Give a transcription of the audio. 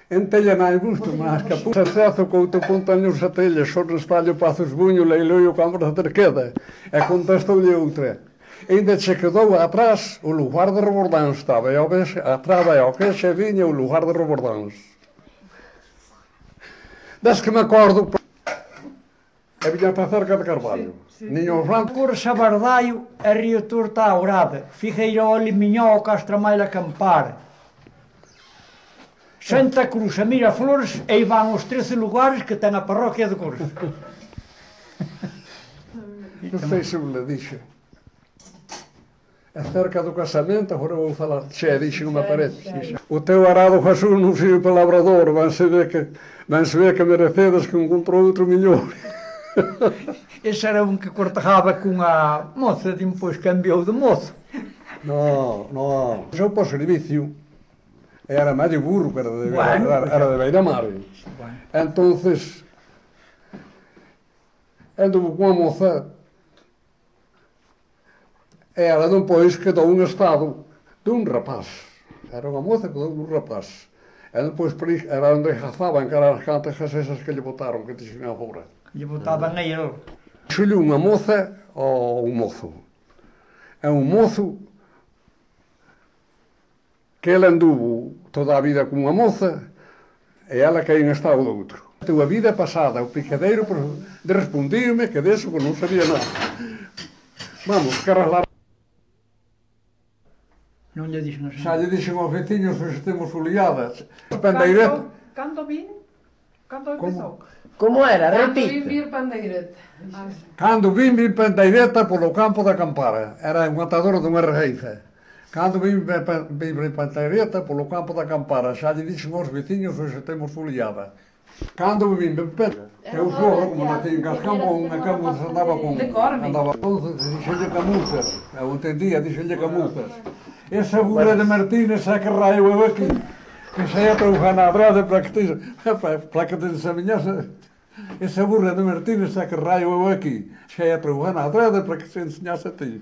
En telha non gusto, mas que a acesso co outro contaño sa telha, só no espalho pazos buño, leilou o campo da terqueda. E contestou-lhe outra. Ainda se quedou atrás o lugar de Rebordãos, estaba, e ao vez, atrás ao que se viña o lugar de Rebordãos. Desde que me acordo, a viña está cerca de Carvalho. Niño Blanco. Cursa Bardaio, a Rio Torta Aurada, Figueiró, Limiñó, Castramaila, Campar. Santa Cruz, a Miraflores, e aí van os 13 lugares que ten a parroquia de Cursa. Non sei se me dixo. Acerca do casamento, agora vou falar, xe, dixo unha parede. O teu arado Jesús non sirve para labrador, vanse ver que merecedes que encontrou outro millón. Ese era un que cortejaba cunha moza, depois cambiou de mozo. No. Eu por servicio, era medio burro, que era de Beiramar. Entonces, anduvo cunha moza, e ela depois quedou un estado dun rapaz. Era unha moza que quedou dun rapaz. E depois era onde razaban, que eran as cantas esas que lle botaron, que te xingan fora. Lle botaban a ele. Xullo unha moza ou un mozo. É un mozo que ele anduvo toda a vida con unha moza e ela que en estado do outro. A vida pasada, o picadeiro de respondirme que deso que non sabía nada. Vamos, que arraslar. Non lle dixen así. Xa lle dixen aos veciños que estemos foliadas. Cando vin? Cando empezou? Como era? Cando vin Repite. vir Pandeireta. Cando vin Pandeireta polo campo da Campara. Era un matador dunha rejeiza. Cando vin Pandeireta polo campo da Campara. Xa lle dixen aos veciños que estemos foliadas. Cando vin eu sou, como nací en Cascampo, unha camuza andaba con... Andaba entonces, dixenlle camuzas. Eu entendía, dixenlle camuzas. Esa burra de Martínez é que raio eu aquí. Que xa ia troujar na brada para que te enseñase. Esa burra de Martínez é que raio eu aquí. Xa ia troujar na brada para que se enseñase a ti.